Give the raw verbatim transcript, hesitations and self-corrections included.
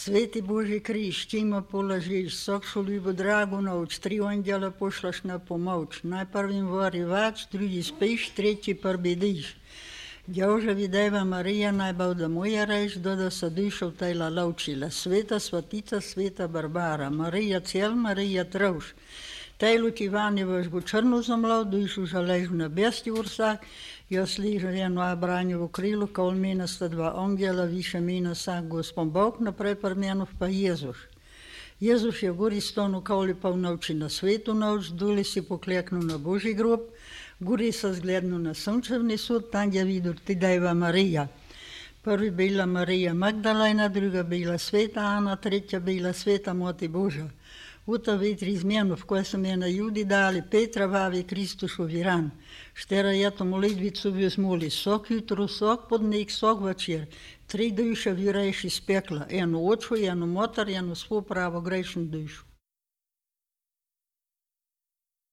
Sveti Božji križ, čima položiš, sokšu ljubo dragu noč, tri anđela pošlaš na pomoć, najprvim vari vač, drugi spiš, treći prbidiš. Đaužavi Deva Marija, najbav da moja reč, doda sa dušov tajla laučila, sveta svatica, sveta Barbara, Marija cel, Marija trauš. Tajlu ti vani vaš bu črnu zamlav, dušu žalež na besti ursak, jaz ližu jedno abranjevo krilo, kol mena sta dva anđela, više mena sak Gospon Bog, naprej prmenov pa Jezus. Jezus je gori stonu kauli pa v noči na svetu noč, duli si pokleknu na Božji grob, gori sa zglednu na sunčevni sud, tam je vidur ti Deva Marija. Prvi bila Marija Magdalena, druga bila Sveta Ana, tretja bila Sveta Mati Božja. Uta vitri izmjenov, koje sam je na Judi dali, Petra vavi Kristušovi ran. Štera je to molitvicu vzmuli, sok jutro, sok podnik, sok večer. Tri duše vireš iz pekla, eno oču, eno motor, eno svo pravo grešnu dušu.